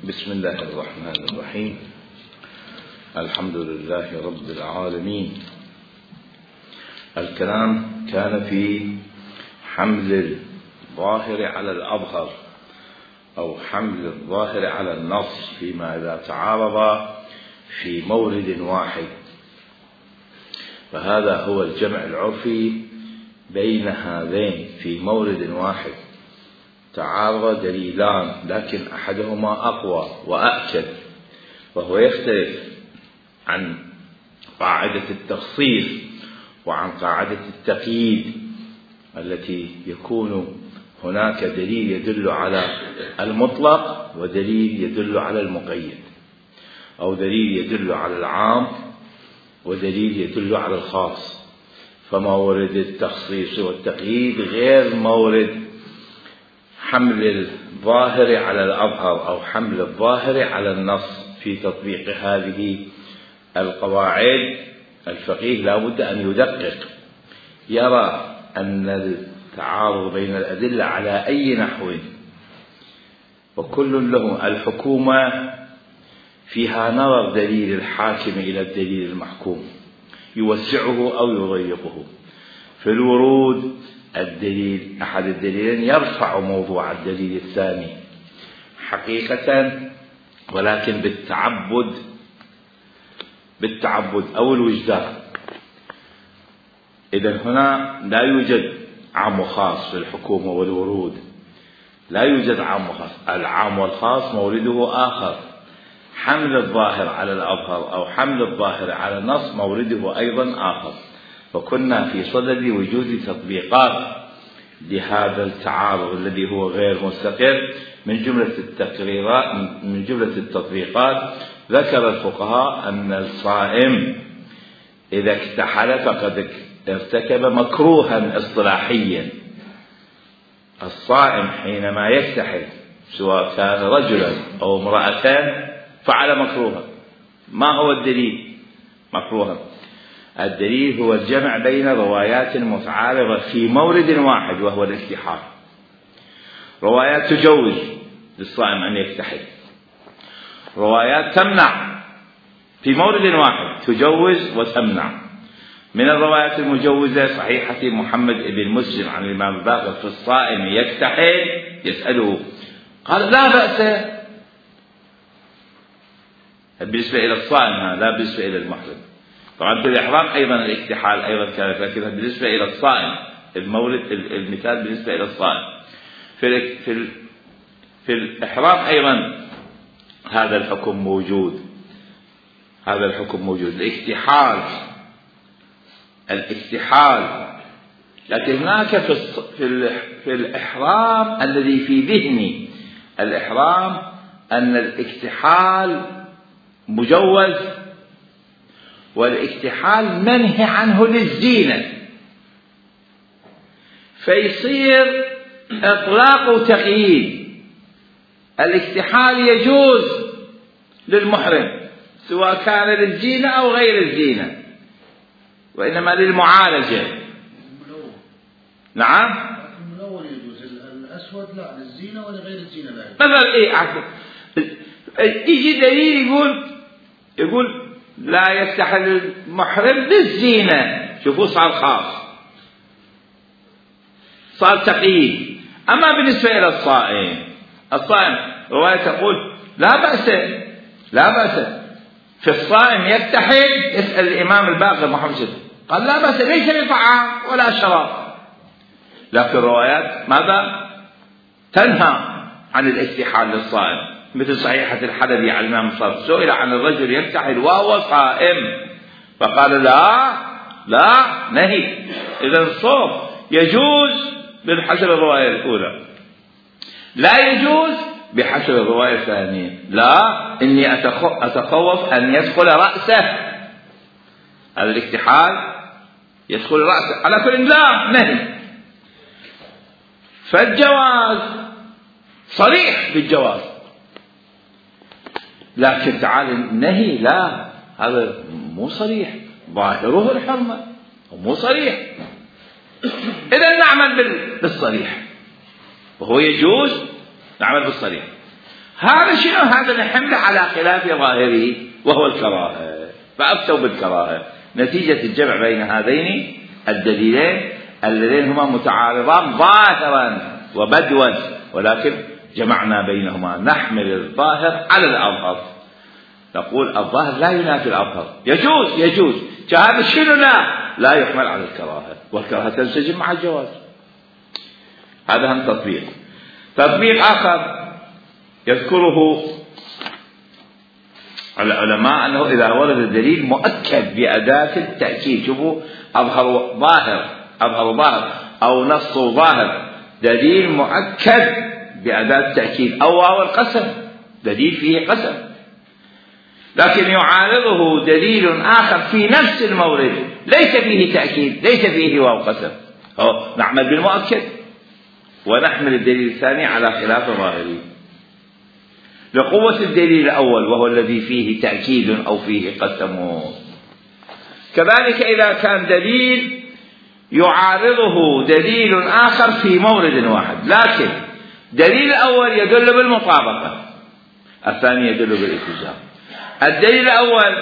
بسم الله الرحمن الرحيم. الحمد لله رب العالمين. الكلام كان في حمل الظاهر على الأظهر أو حمل الظاهر على النص فيما إذا تعارض في مورد واحد، فهذا هو الجمع العرفي بين هذين في مورد واحد. تعارض دليلان لكن أحدهما أقوى وأأكد، وهو يختلف عن قاعدة التخصيص وعن قاعدة التقييد التي يكون هناك دليل يدل على المطلق ودليل يدل على المقيد، أو دليل يدل على العام ودليل يدل على الخاص. فمورد التخصيص والتقييد غير مورد حمل الظاهر على الأظهر أو حمل الظاهر على النص. في تطبيق هذه القواعد الفقيه لا بد أن يدقق، يرى أن التعارض بين الأدلة على أي نحو وكل له الحكومة فيها نظر دليل الحاكم إلى الدليل المحكوم، يوسعه أو يضيقه. في الورود الدليل أحد الدليلين يرفع موضوع الدليل الثاني حقيقة، ولكن بالتعبد أو الوجدان. إذن هنا لا يوجد عام وخاص في الحكومة والورود، لا يوجد عام وخاص. العام والخاص مورده آخر. حمل الظاهر على الأظهر أو حمل الظاهر على النص مورده أيضا آخر. وكنا في صدد وجود تطبيقات لهذا التعارض الذي هو غير مستقر. من جملة التطبيقات ذكر الفقهاء أن الصائم إذا اكتحل فقد ارتكب مكروها اصطلاحيا. الصائم حينما يكتحل سواء كان رجلا أو امرأتان فعل مكروها. ما هو الدليل مكروها؟ الدليل هو الجمع بين روايات متعارضة في مورد واحد وهو الاكتحال. روايات تجوز للصائم أن يكتحل، روايات تمنع في مورد واحد، تجوز وتمنع. من الروايات المجوزة صحيحة محمد بن مسلم عن الإمام الباقر في الصائم يكتحل، يسأله قال لا بأس. بالنسبة إلى الصائم لا بالنسبة إلى المحرم. طبعا في الإحرام أيضا الاكتحال أيضا كانت، لكن بالنسبة إلى الصائم المولد المثال بالنسبة إلى الصائم. في الإحرام أيضا هذا الحكم موجود، هذا الحكم موجود، الاكتحال. لكن هناك في الإحرام الذي في ذهني الإحرام أن الاكتحال مجوز، والاكتحال منهي عنه للزينة، فيصير إطلاق وتقييد. الاكتحال يجوز للمحرم سواء كان للزينة أو غير الزينة، وإنما للمعالجة. نعم الملون يجوز، الأسود لا، للزينة ولا غير الزينة لا. مثلا إيه عفوا يجي دليل يقول لا يكتحل المحرم للزينة، شوفوا صار خاص، صار تقييد. أما بالنسبة إلى الصائم رواية تقول لا بأس في الصائم يكتحل. يسأل الإمام الباقر محمد شد قال لا بأس، ليس بطعام ولا شراب. لكن الروايات ماذا؟ تنهى عن الاكتحال للصائم، مثل صحيحة الحلبي عن الإمام الصادق سئل عن الرجل يكتحل وهو صائم فقال لا نهي. إذا الصوم يجوز بحسب الرواية الأولى، لا يجوز بحسب الرواية الثانية. لا، إني أتخوف أن يدخل رأسه، هذا الاكتحال يدخل رأسه. على كل لا نهي. فالجواز صريح بالجواز، لكن تعال النهي لا، هذا مو صريح، ظاهره الحرمة مو صريح. إذا نعمل بالصريح، وهو يجوز نعمل بالصريح. هذا شنو؟ هذا نحمله على خلاف ظاهره وهو الكراهة، فأفتوا بالكراهة نتيجة الجمع بين هذين الدليلين اللذين هما متعارضان ظاهرا وبدوا، ولكن جمعنا بينهما، نحمل الظاهر على الأظهر، نقول الظاهر لا ينافي الأظهر، يجوز هذا شنو؟ لا يحمل على الكراهة، والكراهة تنسجم مع الجواز. هذا هم تطبيق آخر يذكره العلماء أنه إذا ورد الدليل مؤكد بأداة التأكيد، شوفوا أظهر ظاهر أو نص ظاهر، دليل مؤكد بأداة التأكيد، أو واو القسم، دليل فيه قسم، لكن يعارضه دليل آخر في نفس المورد ليس فيه تأكيد، ليس فيه واو قسم، نعمل بالمؤكد ونحمل الدليل الثاني على خلاف ظاهره لقوة الدليل الأول وهو الذي فيه تأكيد أو فيه قسم. كذلك إذا كان دليل يعارضه دليل آخر في مورد واحد، لكن دليل الأول يدل بالمطابقة، الثاني يدل بالالتزام. الدليل الأول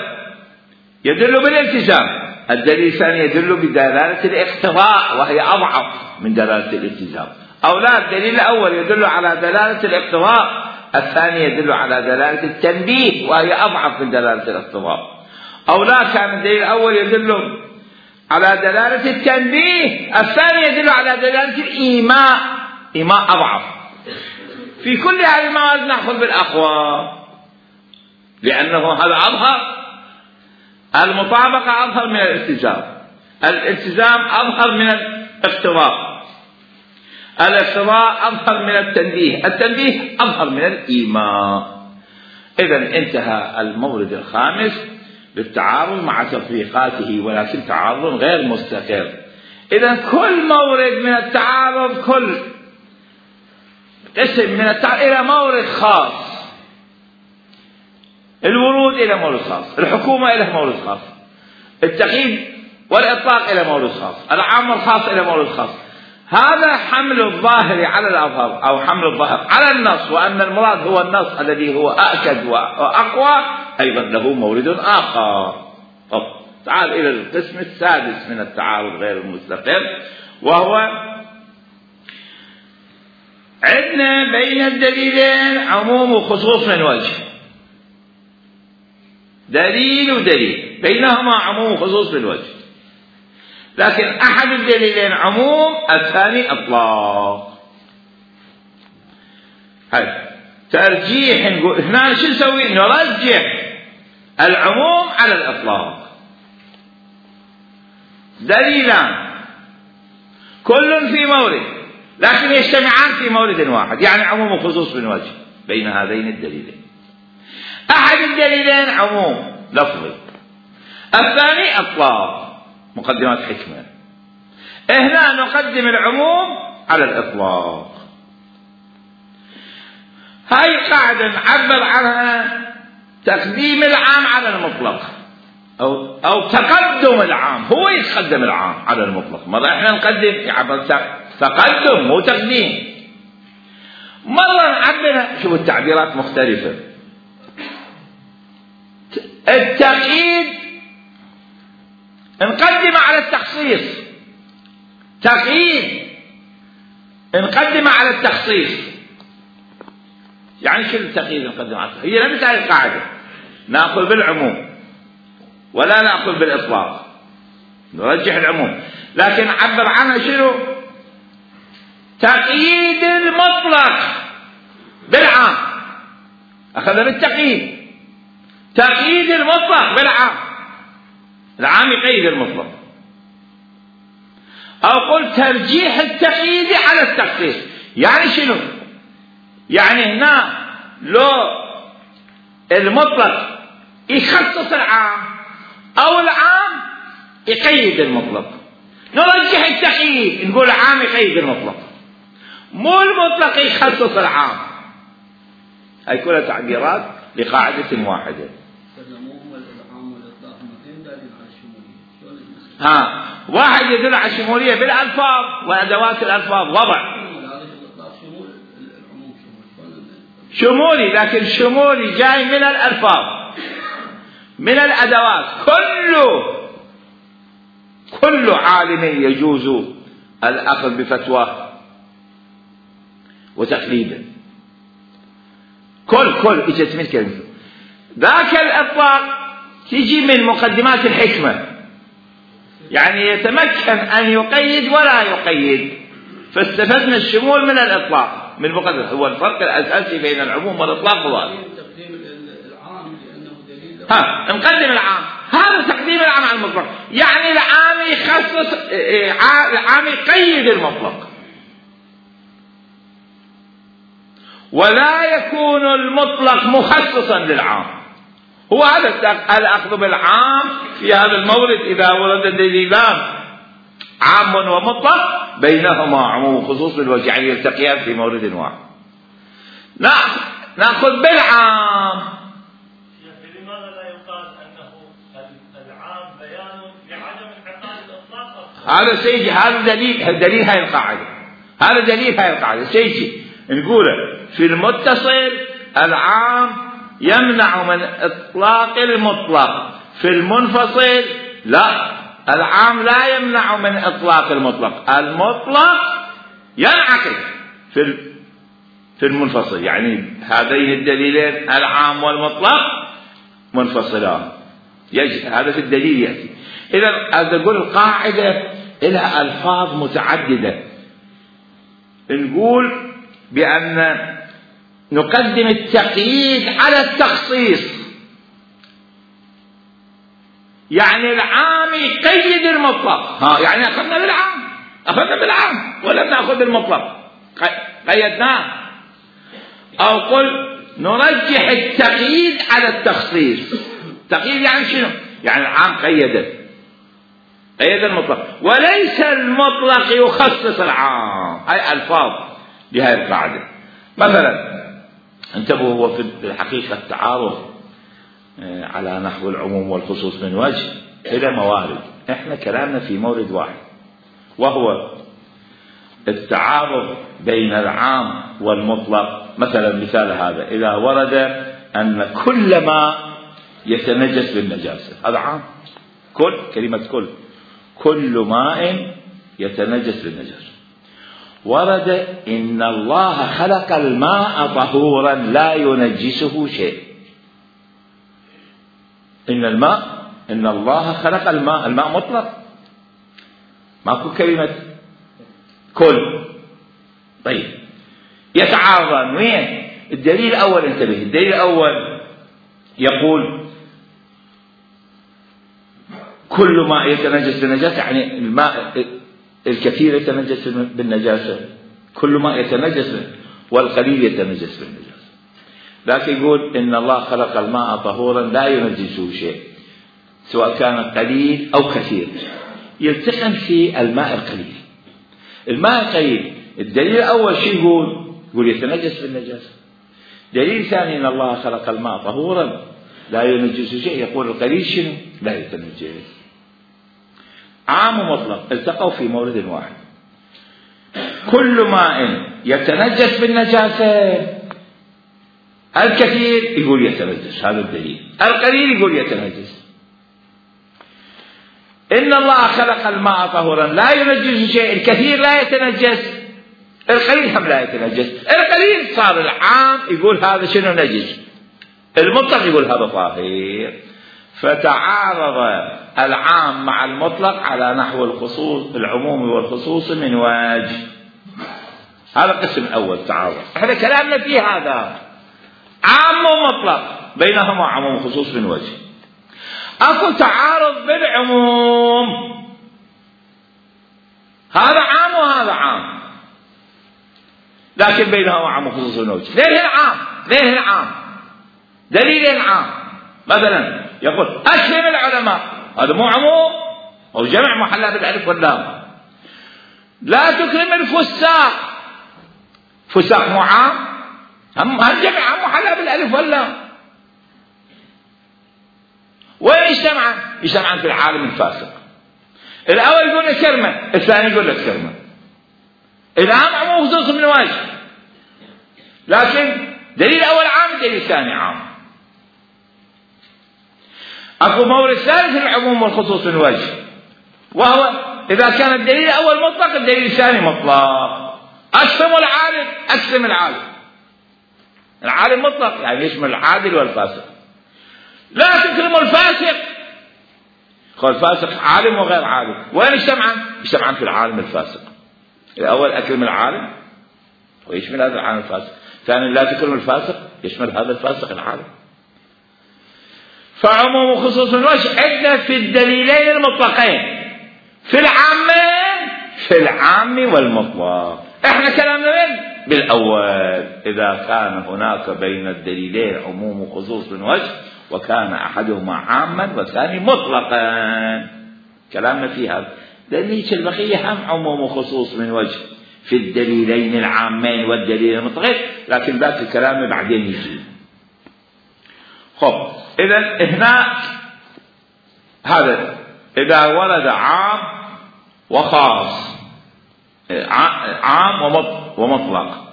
يدل بالالتزام، الدليل الثاني يدل بدلالة الاقتضاء وهي أضعف من دلالة الالتزام. أو لا، الدليل الأول يدل على دلالة الاقتضاء، الثاني يدل على دلالة التنبيه وهي أضعف من دلالة الاقتضاء. أو لا، كان الدليل الأول يدل على دلالة التنبيه، الثاني يدل على دلالة الإيماء، إيماء أضعف. في كل هذه الموارد نأخذ بالأقوى، لأنه هذا أظهر، المطابقة أظهر من الالتزام، الالتزام أظهر من الاقتضاء، الاقتضاء أظهر من التنبيه، التنبيه أظهر من الإيماء. إذن انتهى المورد الخامس بالتعارض مع تطبيقاته، ولكن تعارض غير مستقر. إذن كل مورد من التعارض، كل اسم من التعارض إلى مورد خاص، الورود إلى مورد خاص، الحكومة إلى مورد خاص، التقييد والإطلاق إلى مورد خاص، العام والخاص إلى مورد خاص. هذا حمل الظاهر على الأظهر، أو حمل الظاهر على النص، وأن المراد هو النص الذي هو أأكد وأقوى، أيضا له مورد آخر. تعال إلى القسم السادس من التعارض غير المستقر، وهو عندنا بين الدليلين عموم وخصوص من وجه، دليل ودليل بينهما عموم وخصوص من وجه، لكن أحد الدليلين عموم، الثاني إطلاق. هذا ترجيح، نقول هنا شو نسوي؟ نرجح العموم على الإطلاق. دليلان كل في مورد لكن يجتمعان في مورد واحد، يعني عموم وخصوص من وجه بين هذين الدليلين. أحد الدليلين عموم لفظي، الثاني إطلاق، مقدمات حكمة. هنا نقدم العموم على الإطلاق. هاي قاعدة نعبر عنها تقديم العام على المطلق، أو تقدم العام، هو يتقدم العام على المطلق. مرة احنا نقدم يعبر تقدم مو تقديم، مرة نعبر، شوف التعبيرات مختلفة. التقييد نقدم على التخصيص، تقييد نقدم على التخصيص. يعني شو التقييد نقدم على التخصيص؟ هي نفس هذه القاعدة، نأخذ بالعموم ولا نأخذ بالإطلاق، نرجح العموم، لكن نعبر عنها شنو؟ تقييد المطلق بالعام، أخذ بالتقييد، تقييد المطلق بالعام، العام يقيد المطلق. أو قل ترجيح التقييد على التخصيص. يعني شنو؟ يعني هنا لو المطلق يخصص العام أو العام يقيد المطلق، نرجح التقييد، نقول العام يقيد المطلق، مو المطلق يخصص العام. هاي كلها تعبيرات لقاعدة واحدة. واحد يدل على الشمولية بالألفاظ وأدوات الألفاظ وضع. شمولي، لكن شمولي جاي من الألفاظ، من الأدوات. كل عالم يجوز الأخذ بفتواه وتقليده. كل اجت من كلمة. ذاك الإطلاق تجي من مقدمات الحكمة، يعني يتمكن أن يقيد ولا يقيد، فاستفدنا الشمول من الإطلاق من مقدمة. هو الفرق الأساسي بين العموم والإطلاق هو تقديم العام لأنه دليل. نقدم العام، هذا تقديم العام على المطلق، يعني العام يخصص، العام يقيد المطلق، ولا يكون المطلق مخصصا للعام. هو هذا الأخذ بالعام في هذا المورد إذا ورد دليلان عام ومطلق بينهما عموم وخصوص بالوجه، يعني يلتقيان في مورد واحد. نأخذ بالعام. لماذا لا يقال أنه العام بيان لعدم انعقاد الإطلاق؟ هذا سيجي، هذا دليل هاي القاعدة، هذا دليل هاي القاعدة. سيجي نقوله في المتصل العام يمنع من إطلاق المطلق، في المنفصل لا، العام لا يمنع من إطلاق المطلق، المطلق ينعقد في المنفصل. يعني هذين الدليلين العام والمطلق منفصلان، هذا في الدليل يأتي. إذا أقول القاعدة لها ألفاظ متعددة. نقول بأن نقدم التقييد على التخصيص، يعني العام يقيد المطلق. يعني أخذنا بالعام ولم نأخذ بالمطلق، قيدناه. أو قل نرجح التقييد على التخصيص. تقييد يعني شنو؟ يعني العام قيد المطلق، وليس المطلق يخصص العام. هاي ألفاظ لهذه القاعدة. مثلا انتبهوا، هو في الحقيقة التعارض على نحو العموم والخصوص من وجه إلى موارد. احنا كلامنا في مورد واحد، وهو التعارض بين العام والمطلق. مثلا مثال هذا، إذا ورد أن كل ما يتنجس بالنجاسة، هذا عام. كلمة كل ماء يتنجس بالنجاسة. ورد إن الله خلق الماء طهورا لا ينجسه شيء. إن الله خلق الماء مطلق، ماكو كلمة كل. طيب يتعارضان وين؟ الدليل الأول، انتبه، الدليل الأول يقول كل ماء يتنجس بالنجاسة، يعني الماء الكثير يتنجس بالنجاسة، كل ماء يتنجس والقليل يتنجس بالنجاسة. لكن يقول إن الله خلق الماء طهورا لا ينجسه شيء، سواء كان قليل أو كثير. يلتقم في الماء القليل. الماء القليل الدليل الأول شيء يقول يتنجس بالنجاسة. دليل ثاني إن الله خلق الماء طهورا لا ينجسه شيء، يقول القليل شنو؟ لا يتنجس. عام ومطلق التقوا في مورد واحد. كل ماء يتنجس بالنجاسة، الكثير يقول يتنجس، هذا الدليل. القليل يقول يتنجس. إن الله خلق الماء طهورا لا ينجس شيء، الكثير لا يتنجس، القليل هم لا يتنجس. القليل صار العام يقول هذا شنو نجس، المطلق يقول هذا طاهر. فتعارض العام مع المطلق على نحو العموم والخصوص من وجه. هذا القسم الأول تعارض. احنا كلامنا فيه هذا عام ومطلق بينهما عموم وخصوص من وجه. اكو تعارض بالعموم، هذا عام وهذا عام، لكن بينهما عموم وخصوص من وجه. ليه العام دليل عام. مثلا يقول أسلم العلماء، هذا مو عموم أو جمع محلى بالألف واللام. لا تكرم الفساق، فساق مو عام، هم جمع محلى بالألف واللام. وين يجتمعان في العالم الفاسق. الأول يقول لك كرمة، الثاني يقول لك كرمة. العام عموم خصوص من وجه، لكن دليل أول عام، دليل ثاني عام. أكو مورد ثالث للعموم والخصوص من وجه، وهو إذا كان الدليل الأول مطلق الدليل الثاني مطلق. أقسم العالم. العالم مطلق يعني يشمل العادل والفاسق. لا تكرموا الفاسق. الفاسق عالم وغير عالم، وين اجتمعان؟ اجتمعان في العالم الفاسق. الأول أكرم العالم ويشمل هذا العالم الفاسق، ثانيا لا تكرم الفاسق يشمل هذا الفاسق العالم. فعموم وخصوص الوجه عندنا في الدليلين المطلقين، في العام والمطلق. احنا كلامنا وين؟ بالأول، إذا كان هناك بين الدليلين عموم وخصوص من وجه وكان أحدهما عاما والثاني مطلقا، كلامنا في هذا. لأن البقية هم عموم وخصوص من وجه في الدليلين العامين والدليل المطلقين، لكن ذاك الكلام بعدين يجي. خب إذا هنا هذا إذا ورد عام وخاص، عام ومطلق،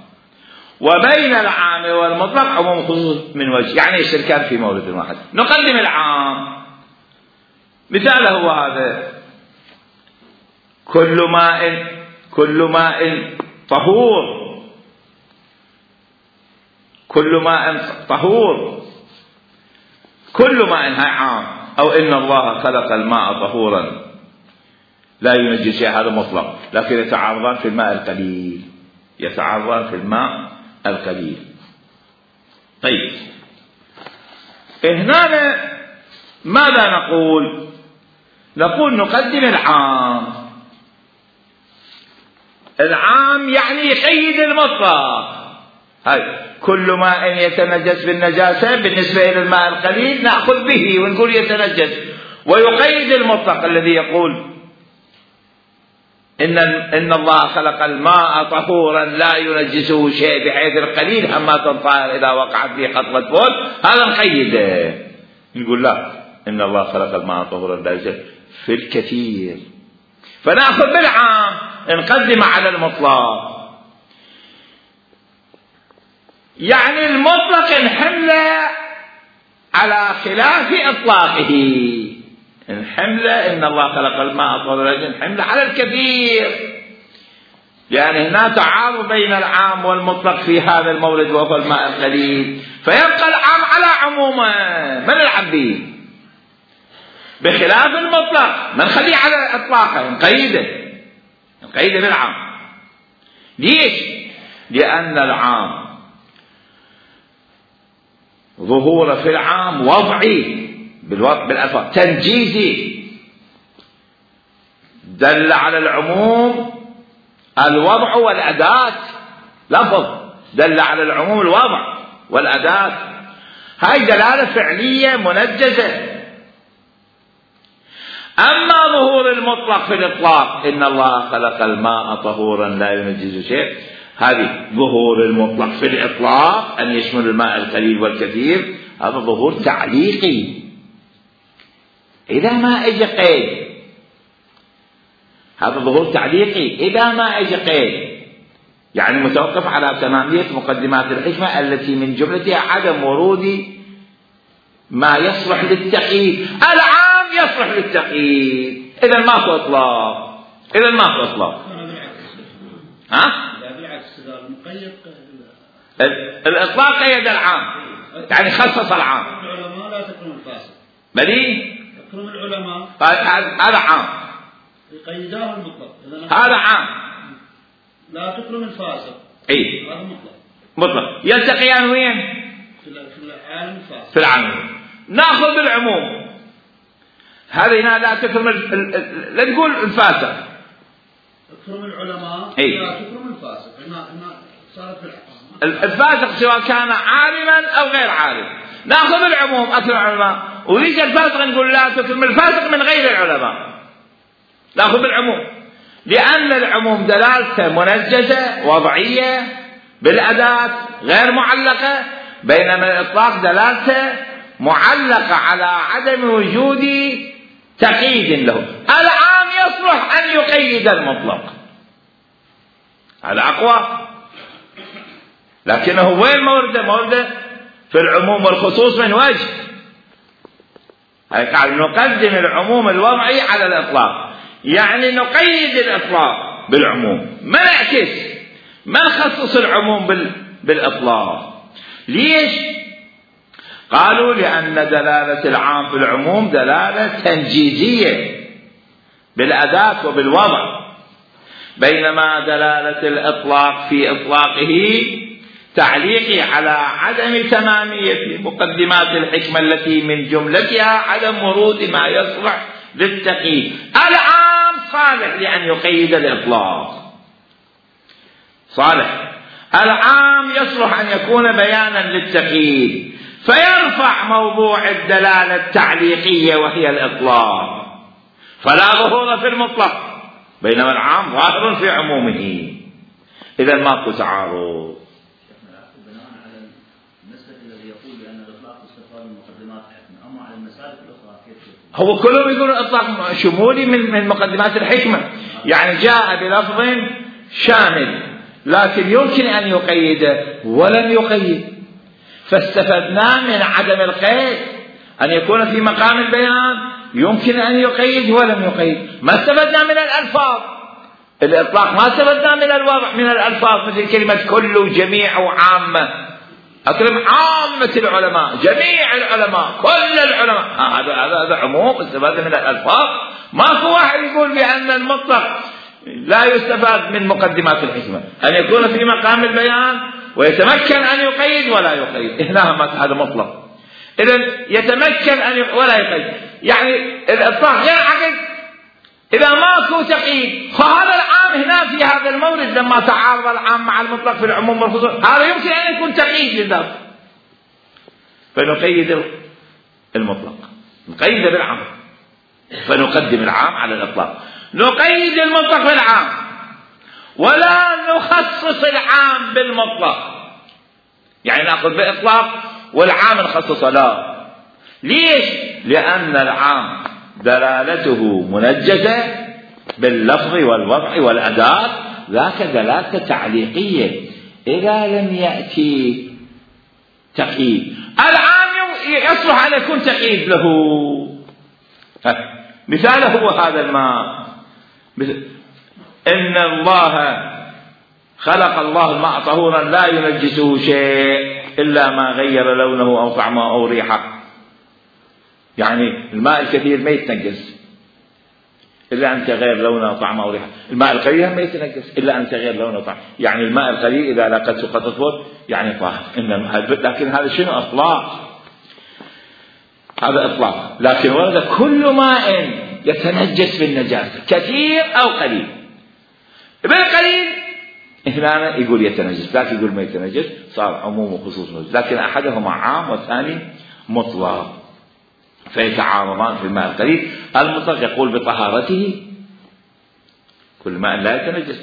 وبين العام والمطلق عموم وخصوص من وجه، يعني يشتركان في مورد واحد. نقدم العام، مثاله هو هذا: كل ماء طهور، كل ماء طهور، كل ماء هاي عام. أو إن الله خلق الماء طهورا لا ينجس شيء، هذا مطلق، لكن يتعارضان في الماء القليل، يتعارضان في الماء القليل. طيب هنا ماذا نقول؟ نقول نقدم العام. العام يعني يقيد المطلق. هاي كل ماء يتنجس بالنجاسة بالنسبة إلى الماء القليل نأخذ به ونقول يتنجس، ويقيد المطلق الذي يقول إن الله خلق الماء طهورا لا ينجسه شيء، بحيث القليل أما تنطهر إذا وقعت به قطرة بول، هذا نقيده. نقول لا، إن الله خلق الماء طهورا لا ينجسه في الكثير، فنأخذ بالعام نقدم على المطلق. يعني المطلق نحمله على خلاف إطلاقه، نحمله إن الله خلق الماء طهورا نحمله على الكثير، لأن هنا تعارض بين العام والمطلق في هذا المورد وهو الماء القليل، فيبقى العام على عمومه ما نلعب به، بخلاف المطلق ما نخليه على إطلاقه، نقيده بالعام. ليش؟ لأن العام ظهوره في العام وضعي بالألفاظ، تنجيزي، دل على العموم الوضع والأداة، لفظ دل على العموم الوضع والأداة، هاي دلالة فعلية منجزة. أما ظهور المطلق في الإطلاق، إن الله خلق الماء طهورا لا ينجس شيء، هذه ظهور المطلق في الإطلاق أن يشمل الماء القليل والكثير، هذا ظهور تعليقي إذا ما أجى قيد، هذا ظهور تعليقي إذا ما أجى قيد، يعني متوقف على تمامية مقدمات الحكمة التي من جملتها عدم ورود ما يصلح للتقييد. العام يصلح للتقييد، إذا ما في إطلاق، إذا ما في إطلاق. ها؟ بالعكس المقيد الإطلاق قيد العام، يعني خصص العام. العلماء لا تكرم الفاسق. بلي؟ تكرم العلماء. هذا عام. يقيداه المطلق. هذا عام. لا تكرم الفاسق. إيه. هذا مطلق. مطلق. يلتقيان وين؟ في العالم الفاسق. في العالم. نأخذ بالعموم. هذه هنا لا تكرم لا تقول الفاسق. تكرم العلماء. إيه. لا تكرم الفاسق. هنا صارت في الفاسق سواء كان عالما أو غير عالم. نأخذ بالعموم أكرم العلماء، ويجي الفاسق نقول لا تكرم الفاسق من غير العلماء. نأخذ بالعموم، لأن العموم دلالته منجزة وضعية بالأداة غير معلقة، بينما الإطلاق دلالته معلقة على عدم وجود تقييد له. العام يصلح أن يقيد المطلق، هذا أقوى. لكنه وين مورده في العموم والخصوص من وجه. قاعد نقدم العموم الوضعي على الإطلاق، يعني نقيد الإطلاق بالعموم، ما نعكس، ما نخصص العموم بالإطلاق. ليش؟ قالوا لأن دلالة العام في العموم دلالة تنجيزية بالأداة وبالوضع، بينما دلالة الإطلاق في إطلاقه تعليقي على عدم تمامية مقدمات الحكمة التي من جملتها عدم ورود ما يصلح للتقييد. العام صالح لأن يقيد الإطلاق، صالح العام يصلح أن يكون بيانا للتقييد، فيرفع موضوع الدلالة التعليقية وهي الإطلاق، فلا ظهور في المطلق، بينما العام ظاهر في عمومه. إذا ماكو تعارض. بناء على المسلك الذي يقول بأن الإطلاق استفاد من مقدمات الحكمة، أما على المسالك الأخرى كيف؟ هو كلهم يقولون الإطلاق شمولي من مقدمات الحكمة، يعني جاء بلفظ شامل لكن يمكن أن يقيده ولم يقيد، فاستفدنا من عدم القيد أن يكون في مقام البيان يمكن أن يقيد ولم يقيد. ما استفدنا من الألفاظ، الإطلاق ما استفدنا من الوضع، من الألفاظ مثل كلمة كل وجميع وعامة. أكرم عامة العلماء، جميع العلماء، كل العلماء، هذا عموم استفاد من الألفاظ. ماكو واحد يقول بأن المطلق لا يستفاد من مقدمات الحكمة، أن يكون في مقام البيان ويتمكن أن يقيد ولا يقيد. هنا هذا مطلق. إذن يتمكن أن ولا يقيد، يعني الإطلاق غير عقد إذا ماكو تقييد. فهذا العام هنا في هذا المورد لما تعارض العام مع المطلق في العموم والخصوص، هذا يمكن أن يكون تقييد للذات، فنقيد المطلق، نقيد بالعام، فنقدم العام على الإطلاق، نقيد المطلق بالعام ولا نخصص العام بالمطلق، يعني نأخذ بإطلاق والعام نخصصه. لا، ليش؟ لأن العام دلالته منجزة باللفظ والوضع والأداة، ذاك دلالة تعليقية إذا لم يأتي تقييد. العام يصلح أن يكون تقييد له. مثاله هو هذا الماء، إن الله خلق الله الماء طهورا لا ينجسه شيء إلا ما غير لونه أو طعمه أو ريحه. يعني الماء الكثير ما يتنجس إلا أن تغير لونه أو طعمه أو ريحه، الماء القليل ما يتنجس إلا أن تغير لونه أو طعمه. يعني الماء القليل إذا لقته قد تطهر يعني طاهر. لكن هذا شنو؟ إطلاق، هذا إطلاق. لكن ورد كل ماء يتنجس بالنجاسة كثير أو قليل. بالقليل هنا يقول يتنجس، لكن يقول ما يتنجس، صار عموم وخصوص نجس. لكن أحدهما عام والثاني مطلق، فيتعارضان في الماء القليل. المطلق يقول بطهارته، كل ماء لا يتنجس،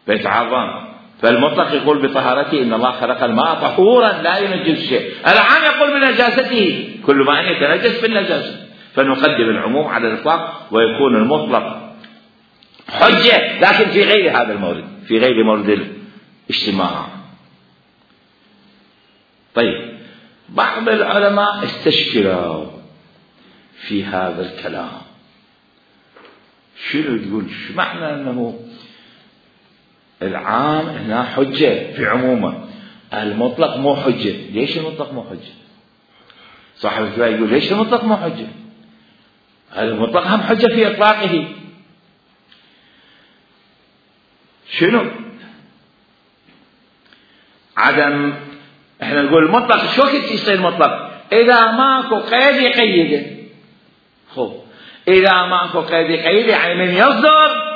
فيتعارضان. فالمطلق يقول بطهارته، إن الله خلق الماء طهورا لا ينجس شيء. العام يقول بنجاسته، كل ماء يتنجس بالنجاسة، فنقدم العموم على الإطلاق ويكون المطلق حجة، لكن في غير هذا المورد، في غير مورد الاجتماع. طيب، بعض العلماء استشكلوا في هذا الكلام. شنو يقول؟ شو معنى أنه العام هنا حجة في عمومه، المطلق مو حجة؟ ليش المطلق مو حجة؟ صاحب الكتاب يقول ليش المطلق مو حجة؟ المطلق هم حجة في إطلاقه. شنو؟ عدم، احنا نقول المطلق شو وقت يصير مطلق؟ إذا ماكو قيد يقيده. خب، إذا ماكو قيد يقيده يعني من يصدر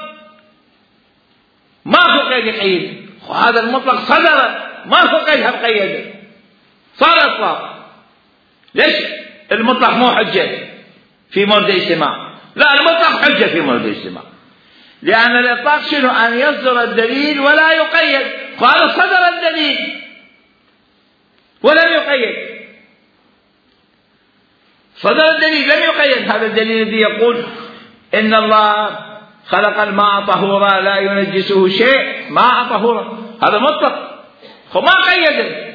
ماكو قيد يقيد، هذا المطلق صدر ماكو قيد قيده، صار إطلاق. ليش المطلق مو حجة في مورد اجتماع؟ لا، المطلق حجة في مورد اجتماع، لأن الإطلاق شنو؟ أن يصدر الدليل ولا يقيد، فهذا صدر الدليل ولم يقيد، صدر الدليل لم يقيد. هذا الدليل الذي يقول إن الله خلق الماء طهورا لا ينجسه شيء، ماء طهورا، هذا مطلق ما قيده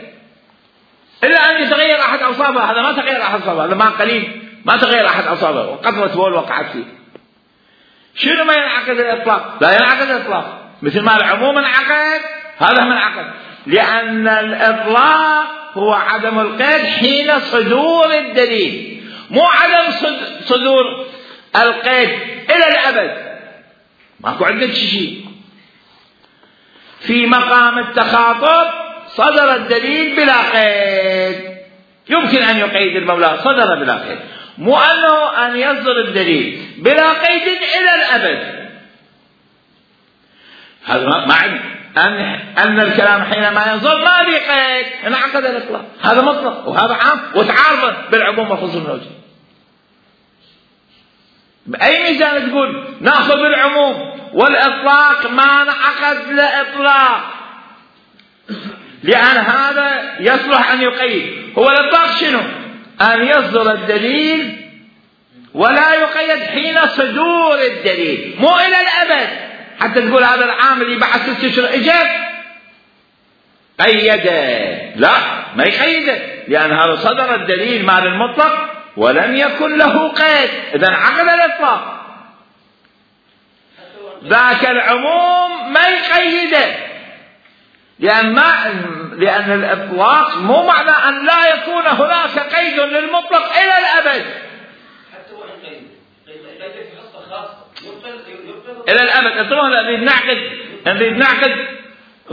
إلا أن يتغير أحد أوصافه. هذا ما تغير أحد أوصافه، هذا ما قليل ما تغير أحد أوصافه وقطرة بول وقعت فيه. شنو ما ينعقد الإطلاق؟ لا ينعقد الإطلاق مثل ما العموم انعقد، هذا هم انعقد، لأن الإطلاق هو عدم القيد حين صدور الدليل، مو عدم صدور القيد إلى الأبد. ماكو عندك شيء في مقام التخاطب صدر الدليل بلا قيد، يمكن أن يقيد المولى، صدر بلا قيد، مو أنه أن يصدر الدليل بلا قيد إلى الأبد. هذا معنى أن الكلام حينما يصدر ما في قيد انعقد الإطلاق، هذا مطلق وهذا عام وتعارض بالعموم والخصوص النوجي. بأي ميزان تقول نأخذ بالعموم والإطلاق ما انعقد لإطلاق؟ لأن هذا يصلح أن يقيد. هو الإطلاق شنو؟ أن يصدر الدليل ولا يقيد حين صدور الدليل، مو إلى الأبد. حتى تقول هذا العام اللي بعد 6 أشهر إجا قيده، لا ما يقيده، لأن هذا صدر الدليل مال المطلق ولم يكن له قيد، إذا عقد الإطلاق. ذاك العموم ما يقيده، لأن الإطلاق مو معنى أن لا يكون هناك قيد للمطلق إلى الأبد. حتى وإن قيد في حصة خاصة إلى الأبد. نريد نعقد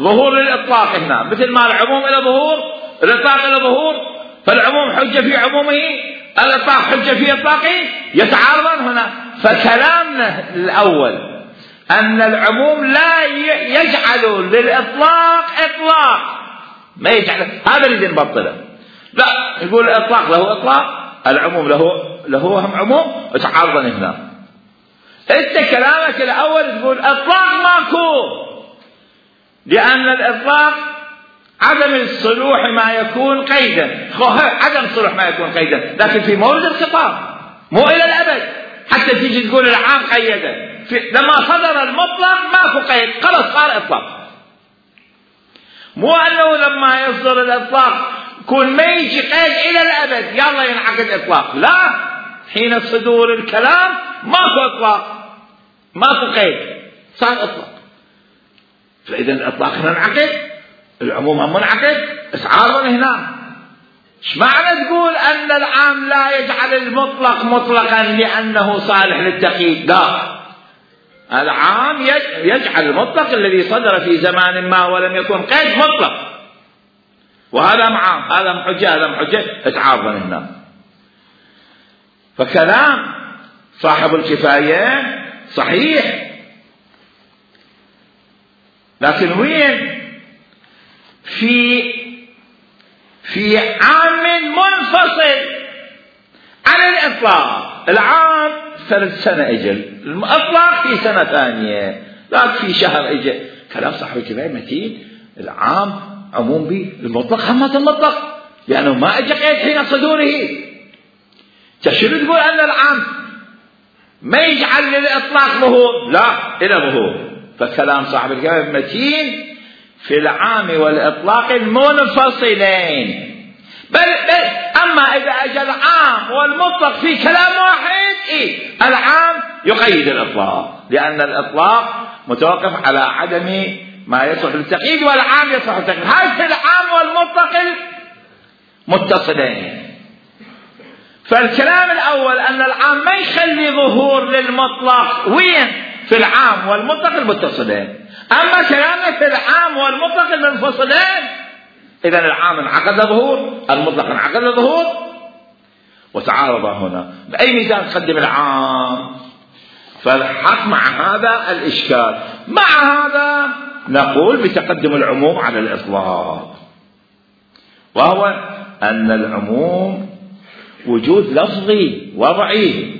ظهور للإطلاق هنا، مثل ما العموم إلى ظهور، الإطلاق إلى ظهور، فالعموم حجة في عمومه، الإطلاق حجة في إطلاقه، يتعارضان هنا. فكلامنا الأول أن العموم لا يجعل للإطلاق إطلاق، ما يجعل، هذا اللي نبطله. لا، يقول الإطلاق له إطلاق، العموم له هم عموم، يتعارضان هنا. أنت كلامك الأول تقول إطلاق ماكو، لأن الإطلاق عدم الصلوح ما يكون قيدا، عدم صلوح ما يكون قيدا، لكن في مورد الخطاب مو إلى الأبد. حتى تيجي تقول العام قيدا، لما صدر المطلق ماكو قيد، خلص صار إطلاق. مو أنه لما يصدر الإطلاق يكون ما يجي قيد إلى الأبد يلا ينعقد إطلاق، لا، حين صدور الكلام ماكو إطلاق، ماكو قيد، صار إطلاق. فإذا الإطلاق هنا انعقد، العموم منعقد، تعارض هنا. ايش معنى تقول أن العام لا يجعل المطلق مطلقا لأنه صالح للتقييد؟ لا، العام يجعل المطلق الذي صدر في زمان ما ولم يكن قيد مطلق، وهذا معام، هذا محجة، هذا محجة، تعارض هنا. فكلام صاحب الكفاية صحيح، لكن وين في عام منفصل عن الإطلاق. العام 3 سنة أجل، الإطلاق في سنة ثانية، لا في شهر أجل. كلام صاحب الكفاية متين. العام عموم به، المطلق همة المطلق، لأنه ما أجى قيد حين صدوره. شنو تقول أن العام ما يجعل للإطلاق ظهور؟ لا، إلى ظهور. فكلام صاحب الكفاية متين في العام والإطلاق المنفصلين. بل أما إذا أجى العام والمطلق في كلام واحد، العام يقيد الإطلاق، لأن الإطلاق متوقف على عدم ما يصلح للتقييد، والعام يصلح للتقييد. هذا العام والمطلق المتصلين. فالكلام الأول أن العام ما يخلي ظهور للمطلق، وين؟ في العام والمطلق المتصلين. أما كلامنا في العام والمطلق المنفصلين، إذن العام انعقد ظهور، المطلق انعقد ظهور، وتعارض هنا. بأي ميزان تقدم العام؟ فالحق مع هذا الإشكال. مع هذا نقول بتقدم العموم على الإطلاق، وهو أن العموم وجود لفظي وضعي،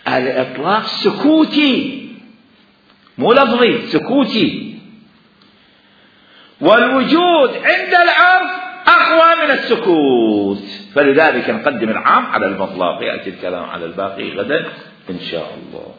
الإطلاق سكوتي مو لفظي، سكوتي، والوجود عند العرف أقوى من السكوت، فلذلك نقدم العام على المطلق. يأتي الكلام على الباقي غدا إن شاء الله.